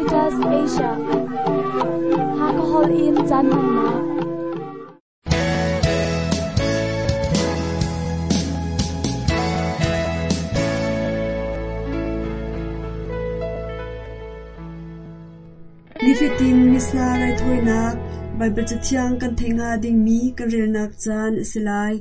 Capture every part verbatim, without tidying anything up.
Adventist Asia. Hakahol in caan hmannak. Nifatin Missa raithawinak Baibal Cathiang kan theih hnga dingmi kan relnak caan a si lai.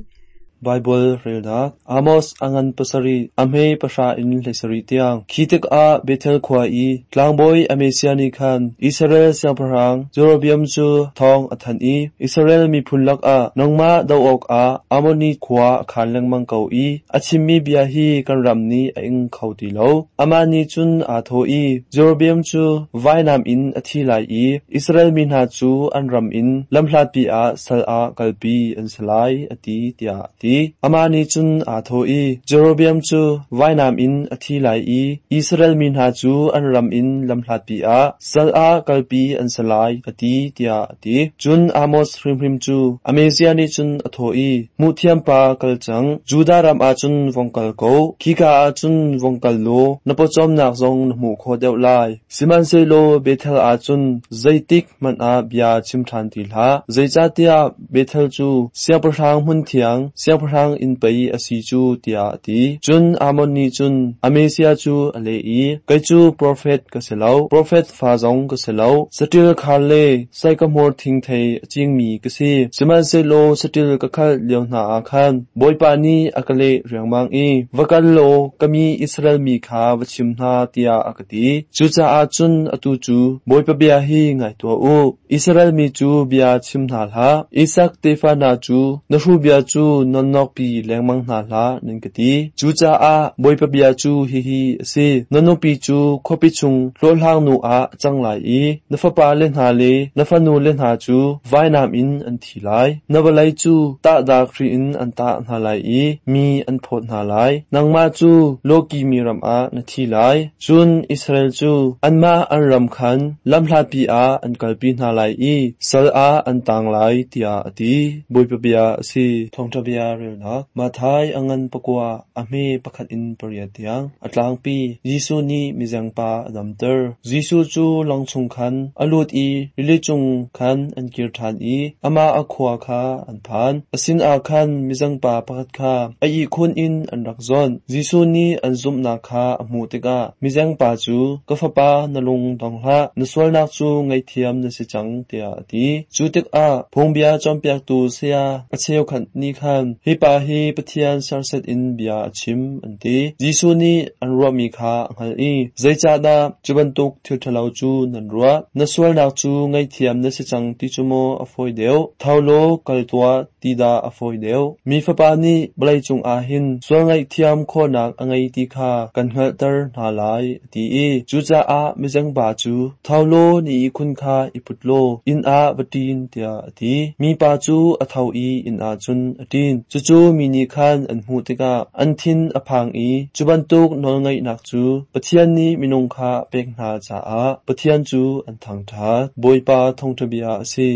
Baibal relnak Amos a ngan pasarih a hme pahra in hleisarih tiang. Khi tikah Bethel khua i tlangbawi Amaziah nih khan Israel siangpahrang Jeroboam cu thawng a thanh i Israel miphun lakah nangmah doh awkah Ammoni khua a khan lengmang ko i a chimmi bia hi kan ram nih a ing kho ti lo. Amah nih cun aa thawh i Jeroboam cu vainam in a thi lai i Israel mi hna cu an ram in lamhlatpi ah sal ah kalpi an si lai, a ti tiah a ti. Amah nih cun aa thawh i Jeroboam cu vainam in a thi lai i Israel mi hna cu an ram in lamhlatpi ah sal ah kalpi an si lai, a ti tiah a ti. Cun Amos hrimhrim cu Amaziah nih cun a thawh i, Hmuhthiam pa kal cang, Judah ram ah cun vong kal ko, khika ah cun vong kal law na pawcawmnak zong na hmuh khawh deuh lai. Sihmanhsehlaw Bethel ah cun zeitik hmanh ah bia chim ṭhan ti hlah, zeicahtiah Bethel cu siangpahrang hmunthiang, siangpahrang inn pei a si cu, tiah a ti. Cun Amon nih cun Amaziah cu a leh i, Kei cu profet ka si lo, profet fa zong ka si lo, saṭil khar le saikahmawr thingthei a cingmi ka si. Sihmanhsehlaw saṭil ka khalh lio hna ah khan Bawipa nih a ka leh riangmang i, va kal law ka mi Israel mi kha va chim hna, tiah a ka ti. Cucaah cun atu cu Bawipa bia hi ngai tuah u. Israel mi cu bia chim hna hlah. Isak tefa hna cu na hru bia cu nonnokpi lengmang hna hlah, nan ka ti. Cucaah Bawipa bia cu hihi a si. Na nupi cu khuapi chung hlawhhlang nu ah a cang lai i na fapa le hna le na fanu le hna cu vainam in an thi lai. Na vawlei cu tahdak hri in an tah hna lai i mi an phawt hna lai. Nangmah cu lawkihmi ram ah na thi lai. Cun Israel cu anmah an ram khan lamhlatpi ah an kalpi hna lai i sal ah an tang lai, tiah a ti. Bawipa bia a si. Thawngṭha bia relnak Matthai a ngan pakua a hme pakhat in pariat tiang. A tlangpi Jesuh nih mizengpa a damter. Jesuh cu lawng chung khan a lut i rili cung khan an kir ṭhan i amah a khua kha an phan. A sinah khan mizengpa pakhat kha a ihkhun in an rak zawnh. Jesuh nih an zumhnak kha a hmuh tikah mizengpa cu, ka fapa, na lung dong hlah, na sualnak cu ngaihthiam na si cang, tiah a ti. Cu tikah phungbia cawnpiaktu saya a cheukhat nih khan, hi pa hi Pathian serhsat in bia a chim, an ti. Jesuh nih an ruahmi kha a hngalh i, zeicahdah cu bantuk thil ṭhalo cu nan ruah? Na sualnak cu ngaihthiam na si cang ti cu maw a fawi deuh? Tho law kal tuah ti dah a fawi deuh? Mi Fapa nih vawlei cungah hin sual ngaihthiam khawhnak a ngei ti kha kan hngalhter hna lai, a ti i cucaah mizengpa cu, tho law na ihkhun kha i put law inn ah va ṭin, tiah a ti. Mipa cu a tho i inn ah cun a ṭin. Cucu mi nih khan an hmuh tikah an thin a phang i cu bantuk nawlngeihnak cu Pathian nih minung kha a pek hna caah Pathian cu an thangṭhat. Bawipa thawngṭha bia a si.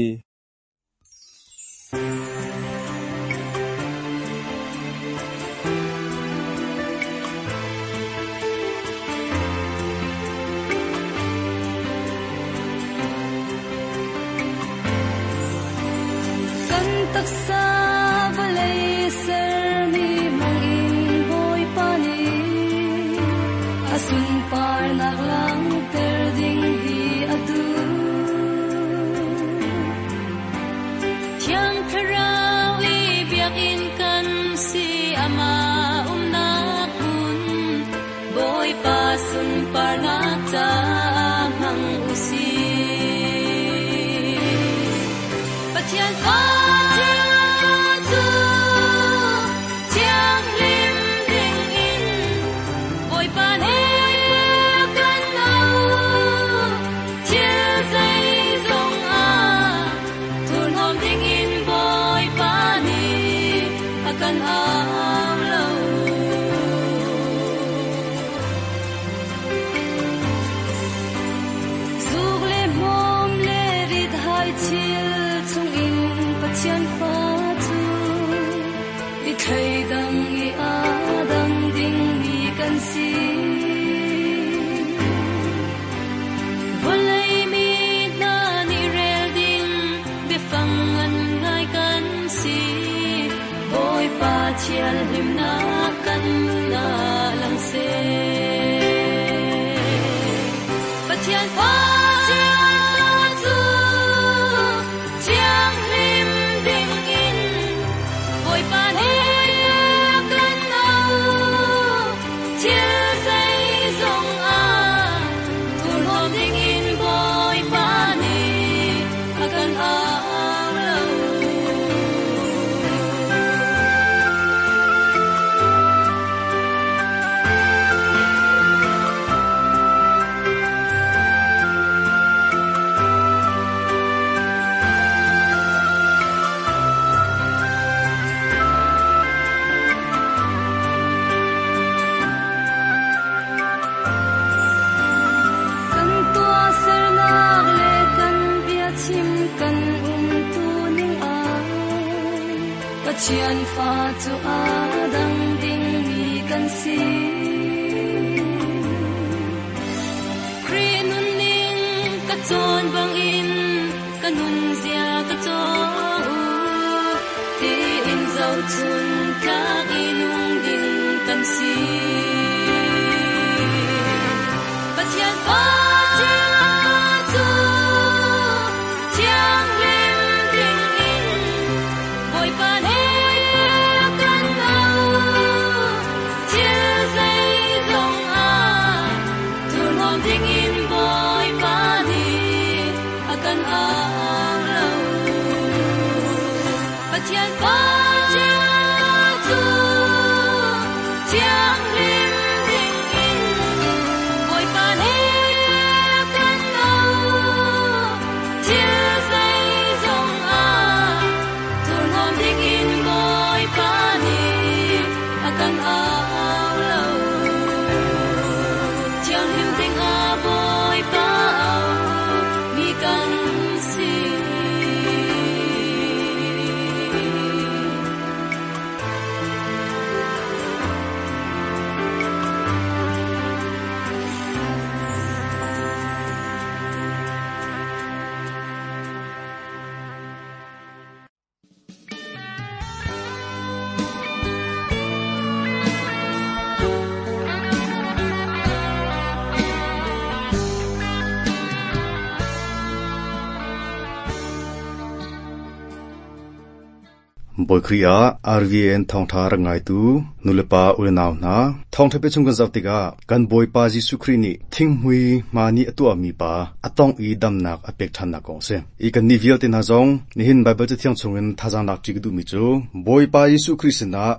Kan taksa vawlei sermi hmangin Bawipa nih a sunparnak langhter ding hi a duh. Thiang Thlarau i biakinn kan si, amah umnak hmun, Bawipa sunparnak caah hmang usih. Pathian fa Pathian fa cu a dang dingmi kan si. Khrih nunning ka cawn bangin ka nun zia ka caw tiin zohchun tlak i nung ding kan si. Pathian fa cu thianghlim dingin Bawipa nih a kan auh. Thil zeizong ah thurhnawm dingin Bawipa nih a kan au lo. Pathian fa cu thianghlim dingin Bawipa nih a kan auh. Thil zeizong ah thurhnawm dingin Bawipa nih a kan au lo. Thianghlim dingah Bawipa auh mi kan si. Bawi Khrih ah R V N thawngtha rak ngaitu nulepa unau hna thawngtha pe chung kan zoh tikah kan Bawipa Jesuh Khrih nih thinghmui hma nih a tuahmi pa a tong i damnak a pek ṭhannak kong a si. I kan nih vialte hna zong nihin Baibal Cathiang chungin thazaang lak ṭi ka duhmi cu Bawipa Jesuh Khrih sinah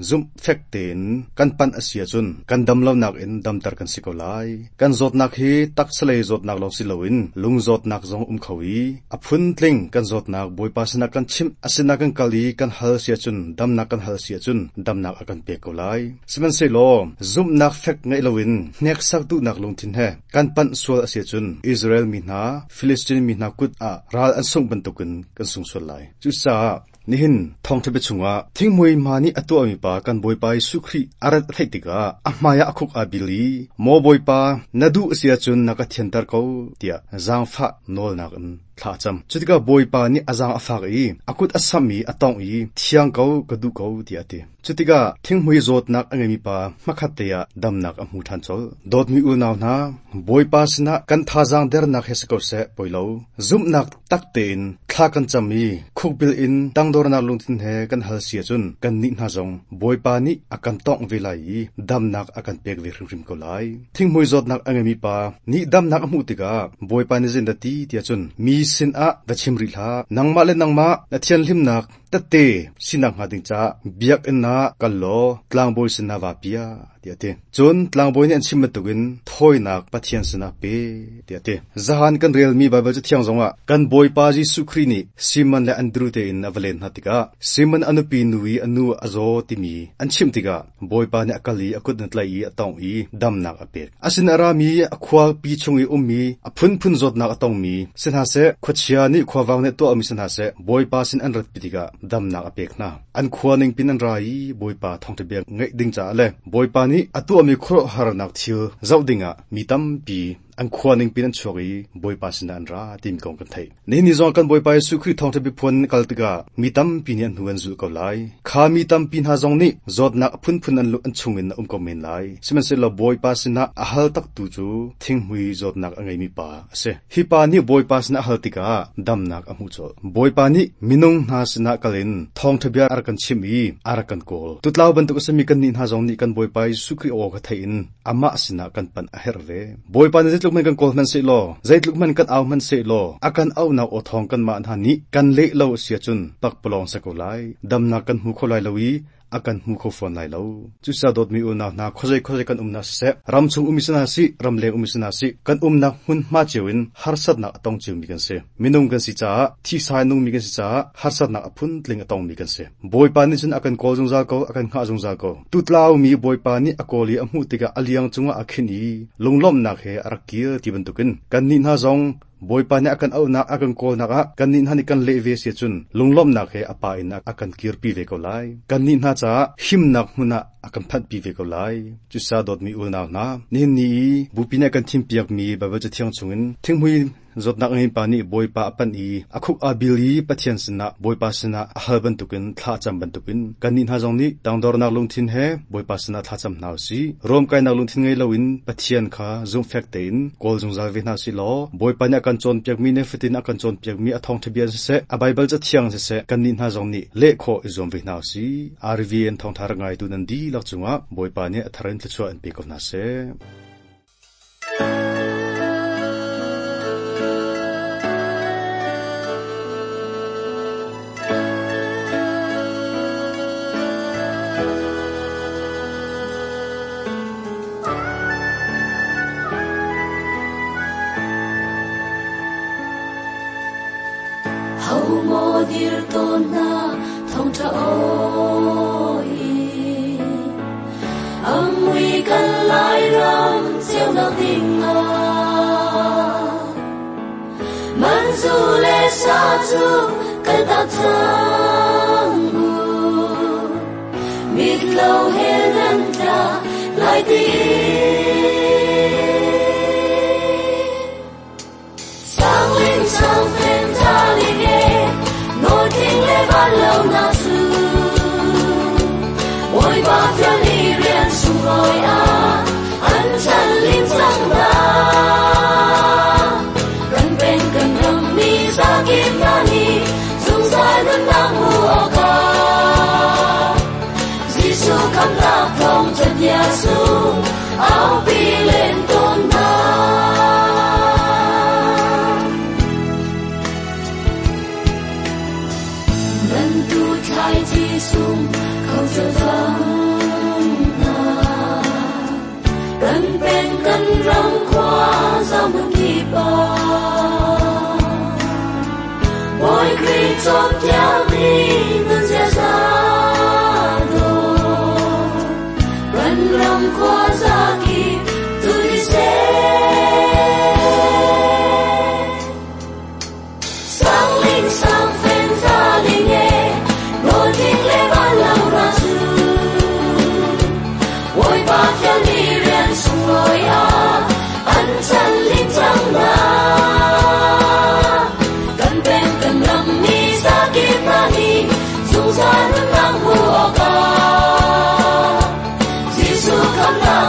zumh fek tein kan panh a si ahcun kan dam lonak in damter kan si ko lai. Kan zawtnak hi taksalei zawtnak lawng si loin lung zawtnak zong um kho i a phuntling kan zawtnak Bawipa sinah kan chimh a sinah kan kal i kan hal si ahcun damnak kan hal si ahcun damnak a kan pek ko lai. Sihmanhsehlaw zumhnak fek ngeih loin hneksak duhnak lungthin he kan panh sual a si ahcun Israel mi hna Philistine mi hna kut ah ral an sungh bantukin kan sung sual lai. Cucaah nihin thawngtha bia chungah thinghmui hma nih a tuahmi pa kan Bawipa Jesuh Khrih a rat a theih tikah a hmaiah a khuk aa bil i maw Bawipa na duh a si ahcun na ka thianter ko tiah zaangfah nawlnak in thla a cam. Cutikah Bawipa nih a zaang a fak i a kut a samh i a tongh i thiang ko ka duh ko tiah a ti. Cutikah thinghmui zawtnak a ngeimi pa hmakhat te ah damnak a hmu ṭhan colh. Dawtmi unau hna, Bawipa sinah kan thazaang dernak he si ko seh poi lo. Zumhnak tak tein thla kan cam i khukbil in tangdornak lungthin he kan hal si ahcun kan nih hna zong Bawipa nih a kan tongh ve lai i damnak a kan pek ve hrimhrim ko lai. Thinghmui zawtnak a ngeimi pa nih damnak a hmuh tikah Bawipa nih zeidah ti tiah cun mi sinah va chim rih hlah. Nangmah le nangmah na thianhlimnak tette sinak hnga ding caah biakinn ah kal law tlangbawi sinah va pia tiah a ti. Cun tlangbawi nih an chim bantukin thawinak Pathian sinah pe tiah a ti. Zahan kan relmi Baibal Cathiang zongah kan Bawipa Jesuh Khrih nih Simon le Andru tein a va len hna tikah Simon a nupi nu i a nu a zaw timi an chimh tikah Bawipa nih a kal i a kut in a tlaih i a tongh i damnak a pek. A sin a rami a khuapi chung i ummi a phunphun zawtnak a tongmi si hna seh, khuachia nih khuavang nih tuahmi si hna seh, Bawipa sin an ratpi tikah damnak a pek hna. An khua ningpin an ra i Bawipa thawngṭha bia ngaih ding caah le Bawipa nih a tuahmi khuaruahharnak thil zoh dingah mi tampi An khua ning pin an chuak i Bawipa sinah an ra timi kong kan theih. Nihin ni zong kan Bawipa Jesuh Khrih thawngṭha biaphuan kal tikah mi tampi nih an hnu an zulh ko lai. Kha mi tampi hna zong nih zawtnak a phunphun an an chungin a um ko men lai. Sihmanhsehlaw Bawipa sinah a hal taktu cu thinghmui zawtnak a ngeimi pa a si. Hi pa nih Bawipa sinah a hal tikah damnak a hmuh colh. Bawipa nih minung hna sinah kal in thawngṭha bia a rak kan chimh i a rak kan kawl. Tutlau bantuk a simi kannih hna zong nih kan Bawipa Jesuh Khrih aw kha theih in amah sinah kan panh a herh ve. Bawipa nih zeitluk hmanh kan kawl hmanhsehlaw, zeitluk hmanh kan au hmanhsehlaw, a kan auhnak aw thawng kanmah hna nih kan leh lo a si ahcun pakpalawng si ko lai. Damnak kan hmu kho lai lo i a kan hmu kho fawn lai lo. Cucaah dawtmi unau hna, khuazei khuazei kan umnak siseh, ram chung ummi si hna sih, ramleng ummi si hna sih, kan umnak hmunhma cio in harsatnak a tong ciomi kan si. Minung kan si caah, thisa in nungmi kan si caah, harsatnak a phuntling a tongmi kan si. Bawipa nih cun a kan kawl zungzal ko, a kan hngah zungzal ko. Tutlaumi Bawipa nih a kawl i a hmuh tikah a liang cungah a khinh i lunglawmhnak he a rak kir ti bantukin kannih hna zong Bawipa nih a kan auhnak, a kan kawlnak ah kannih hna nih kan leh ve si ahcun lunglawmhnak he a pa in a kan kirpi ve ko lai. Kannih hna caah himnak hmun ah a kan phanhpi ve ko lai. Cucaah dawtmi unau hna, nihin ni i bupi nih a kan thimpiakmi Baibal Cathiang chungin thinghmui zawtnak ngei pa nih Bawipa a panh i a khuk aa bil i Pathian sinah Bawipa sinah a hal bantukin thla a cam bantukin kannih hna zong nih tangdornak lungthin he Bawipa sinah thla cam hna u sih. Ruamkainak lungthin ngei loin Pathian kha zumhfek tein kawl zungzal ve hna sih law Bawipa nih a kan cawnpiakmi le fatin a kan cawnpiakmi a thawngṭha bia siseh, a Baibal Cathiang siseh, kannih hna zong nih leh khawh i zuam ve hna u sih. R V N thawngṭha rak ngaitu nan dihlak cungah Bawipa nih a thar in thluachuah in pe ko hna seh. Zungzal nunnak hmu awkah Jesuh khamnak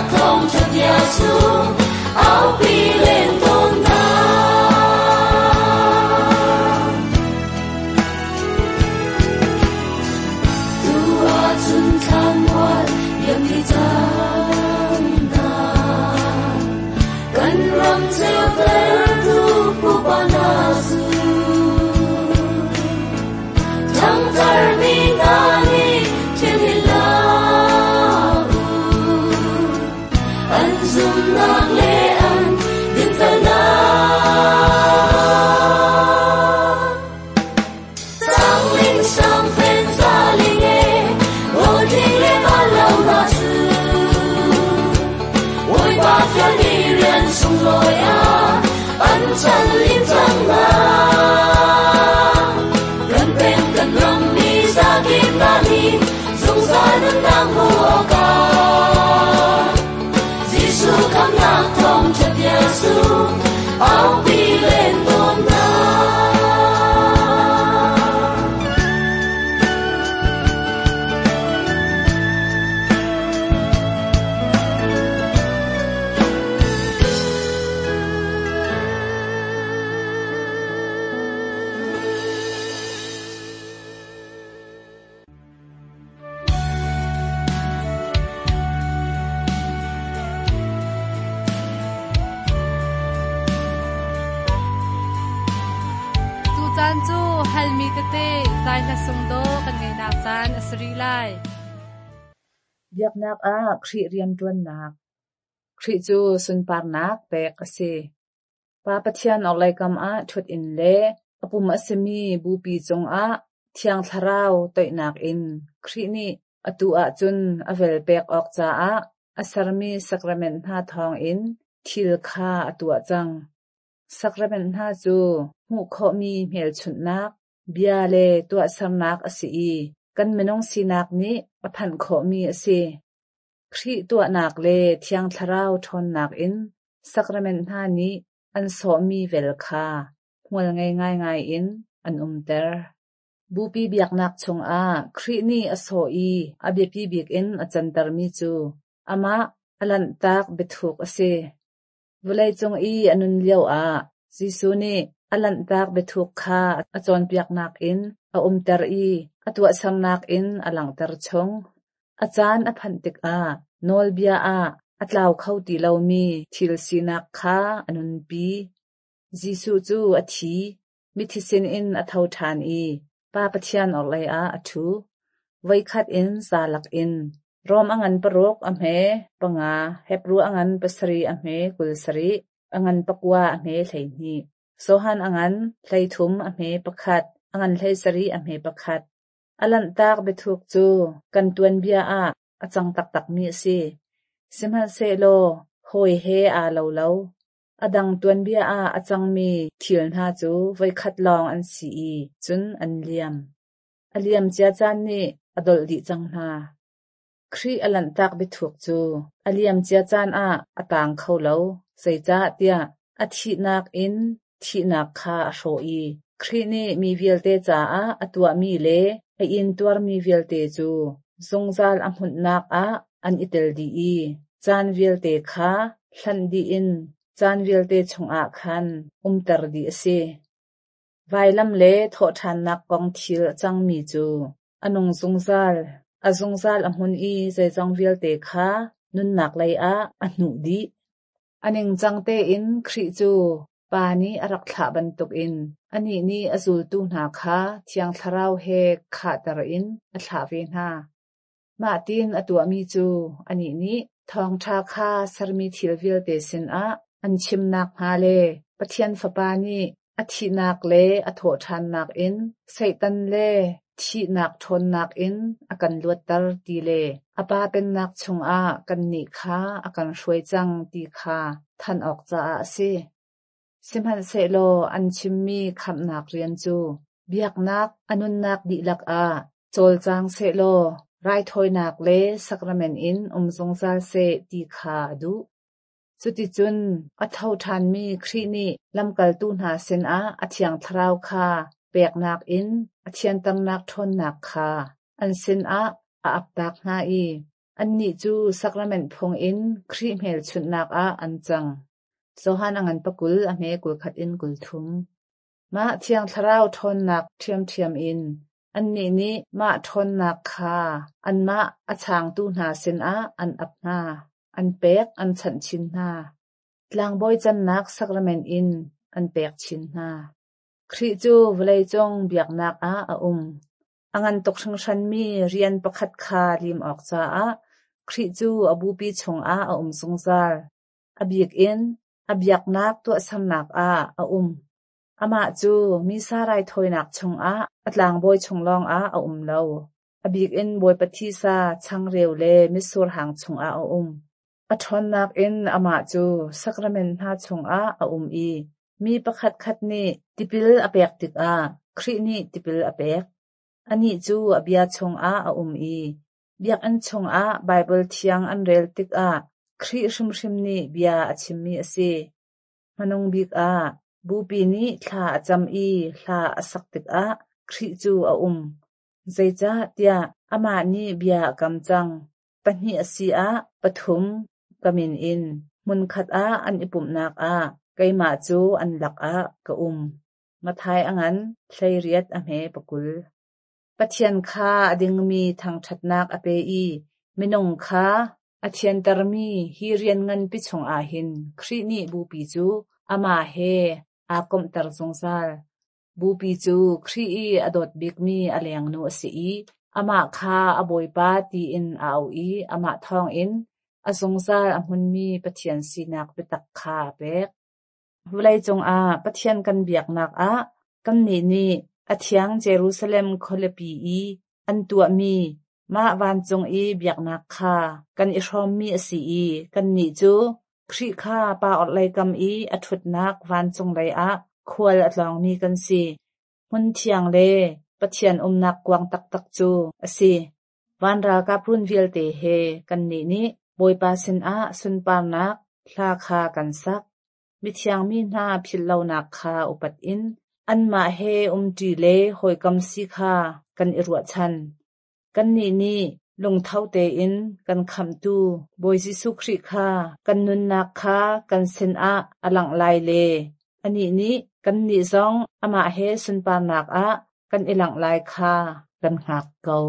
caan cu halmi tete zai hla sungdawh kan ngeihnak caan a si rih lai. Biaknak ah Khrih rianṭuannak. Khrih cu sunparnak pek a si. Pa Pathian orhlei kam ah ṭhut in le a pum a simi Bupi cungah Thiang Thlarau toihnak in Khrih nih atu ahcun a vel pek awk caah a sermi sacrament hna thawngin thil kha a tuah cang. Sacrament hna cu hmuh khawhmi hmelchunhnak, bia le tuahsernak a si i kan minung sinak nih a phanh khawhmi a si. Khrih tuahnak le Thiang Thlarau ṭhawnnak in sacrament hna nih an sawhmi vel kha hmual ngei ngaingai in an umter. Bupi biaknak chungah Khrih nih a sawh i a biapi bik in a cantermi cu amah a lanhtak biathuk a si. Vawleicung i a nun lioah Jesuh nih a lanhtak biathuk kha a cawnpiaknak in a umter i a tuahsernak in a langhter chung. A caan a phanh tikah nawlbia ah a tlau kho ti lomi thil sinak kha a nunpi. Jesuh cu a thi, mithi sinin a tho ṭhan i Pa Pathian orhlei ah a ṭhu. Voikhat in zalak in Rom a ngan paruk a hme panga, Hebru a ngan pasarih a hme kul sarih, a ngan pakua a hme hleihnih, Johan a ngan hleithum a hme pakhat, a ngan hleisarih a hme pakhat. A lanhtak biathuk cu kan tuanbia ah a cang taktakmi a si. Sihmanhsehlaw hawi he aa lo lo. A dang tuanbia ah a cangmi thil hna cu voikhat lawng an si i cun an liam. A liam cia caan nih a dolh dih cang hna. Khrih a lanhtak biathuk cu a liam cia caan ah a taang kho lo, zeicahtiah a thihnak in thihnak kha a hrawh i Khrih nih mi vialte caah a tuahmi le a intuarmi vialte cu zungzal a hmunhnak ah an i tel dih i caan vialte kha hlanh dih in caan vialte chungah khan umter dih a si. Vailam le thawhṭhannak kong thil a cangmi cu a nung zungzal, a zungzal a hmun i zeizong vialte kha nunnak lei ah a hnuh dih. A ningcang tein Khrih cu Pa nih a rak thlah bantukin anih nih a zultu hna kha Thiang Thlarau he khahter in a thlah ve hna. Mah tiin a tuahmi cu anih nih thawngṭha kha sermi thil vialte sinah an chim nakhnga le Pathian Fapa nih a thihnak le a thawhṭhannak in Satan le thihnak ṭhawnnak in a kan luatter ti le a Pa Pennak chungah kannih kha a kan hruai cang ti kha thanh awk caah a si. Sihmanhsehlaw an chimmi khamhnak rian cu biaknak a nunnak dihlak ah cawlcang sehlaw raithawinak le sacrament in um zungzal seh ti kha a duh. Cuticun a tho ṭhanmi Khrih nih lamkaltu hna sinah a Thiang Thlarau kha peknak in a thianternak ṭhawnnak kha an sinah a aptak hna i annih cu sacrament phung in Khrih hmelchunhnak ah an cang. Johan a ngan pakul a hme kul khat in kul thum. Mah Thiang Thlarau ṭhawnnak ṭhiamṭhiam in annih nih mah ṭhawnnak kha anmah a changtu hna sinah an ap hna, an pek an chanh chin hna. Tlangbawi cannak sacrament in an pek chin hna. Khrih cu vawleicung biaknak ah a um. A ngan tuk hringhranmi rian pakhat kha lim awk caah Khrih cu a bupi chungah a um zungzal. A bik in a biaknak tuahsernak ah a um. Amah cu Missa raithawinak chungah a tlangbawi chung lawngah a um lo. A bik in Bawipa thisa, changreu le mitsur hang chungah a um. A ṭhawnnak in amah cu sacrament hna chungah a um i mi pakhatkhat nih tipil a pek tikah Khrih nih tipil a pek. Anih cu a bia chungah a um i biakinn chungah Baibal thiang an rel tikah Khrih hrimhrim nih bia a chimmi a si. Hmanung bik ah Bupi nih thla a cam i hla a sak tikah Khrih cu a um. Zeicahtiah amah nih bia a kam cang. Pahnih a si ah pathum ka min in hmunkhat ah an i pumhnak ah keimah cu an lakah ka um. Matthai a ngan hleiriat a hme pakul. Pathian kha a dingmi thangṭhatnak a pe i minung kha a thiantermi hi rian nganpi chungah hin Khrih nih Bupi cu amah he aa komhter zungzal. Bupi cu Khrih i a dawt bikmi a lengnu a si i amah kha a Bawipa tiin a auh i amah thawngin a zungzal a hmunmi Pathian sinak biatak kha a pek. Vawleicung ah Pathian kan biaknak ah kannih nih a thiang Jerusalem khualipi i an tuahmi mah vancung i biaknak kha kan i hrawmmi a si i kannih cu Khrih kha Pa orhlei kam i a ṭhutnak vancung lei ah khual a tlawngmi kan si. Hmun thiang le Pathian umnak kuang taktak cu a si. Van ralkap run vialte he kannih nih Bawipa sinah sunparnak hla kha kan sak. Mithiang mi hna philhlonak kha upat in anmah he umṭi le hawikom si kha kan i ruahchan. Kannih nih lungtho tein kan khamhtu Bawi Jesuh Khrih kha kan nunnak kha kan sinah a langh lai le anih nih kannih zong amah he sunparnak ah kan i langh lai kha kan hngak ko.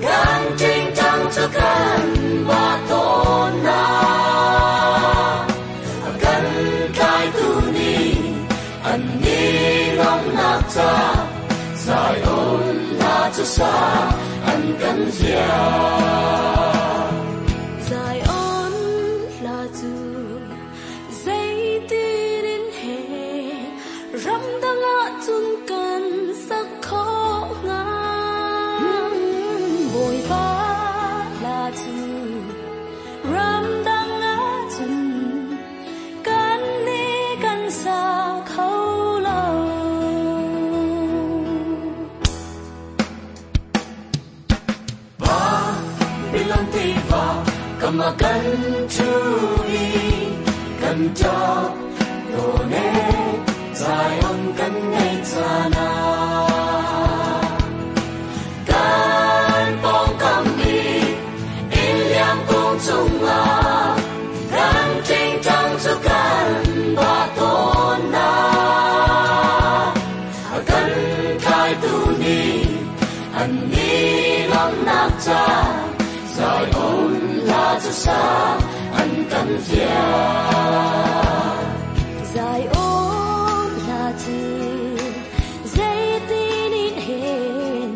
Kan sa an kan hliah. Zion hla cu zeitin in he ramdang ahcun kan sak khawh hnga. Bawipa hla cu ramdang ahcun kan nih kan sa kho lo. Babylon tiva kama kan thui kan tap done Zion kan nei chana kan pong kam i in liam kong chunga kan ting tang chu kan ba ton na kan kai tu ni an ni lam nak cha Zion la chu sa an kan hliah. Zion hla cu zeitin in hen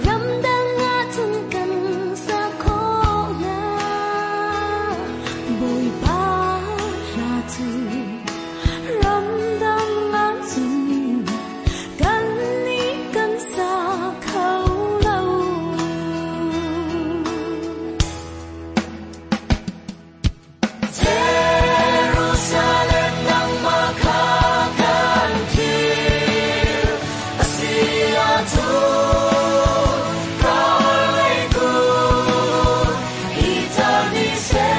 ramdang ahcun kan sa khawh hnga. Bawipa hla cu ramdang ahcun kan nih kan sa kho lo. Jerusalem nangmah kha kan thil a si ahcun ka lei kun i tar ni seh.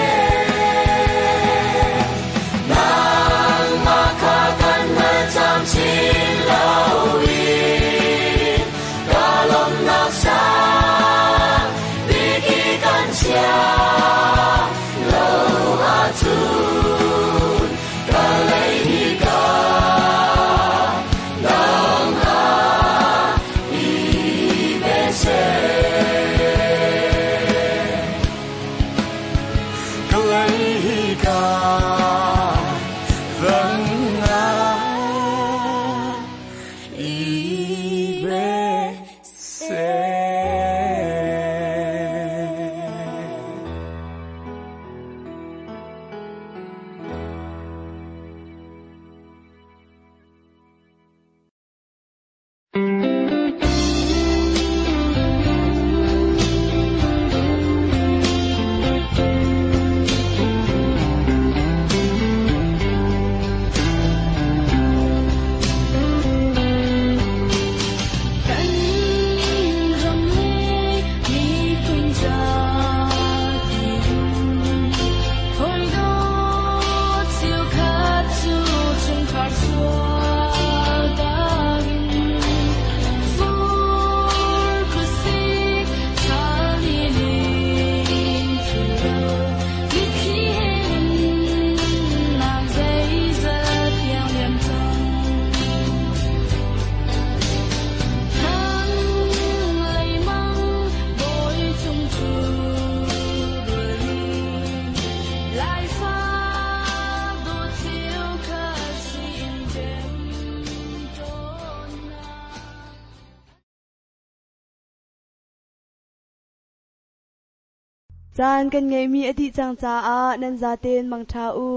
Nangmah kha kan hal camcin loin ka lawmnak sang bik i kan chia lo ahcun ka lei hi ka dang ah i ve seh. Ka lei hi ka dang ah i ve seh. Kan ram le miphun zatin hawi dawt cheu khat cu chungkhar sual dangin fur khuasik ṭhal ni lin thlu mitthli he nunnak zeizat tiang liam cang. Nang leimang bawi cung cu rualin Laifa dawt cheu khat sin ṭem tawn na. Caan kan ngeihmi a dih cang caah nan zaten mangṭha u.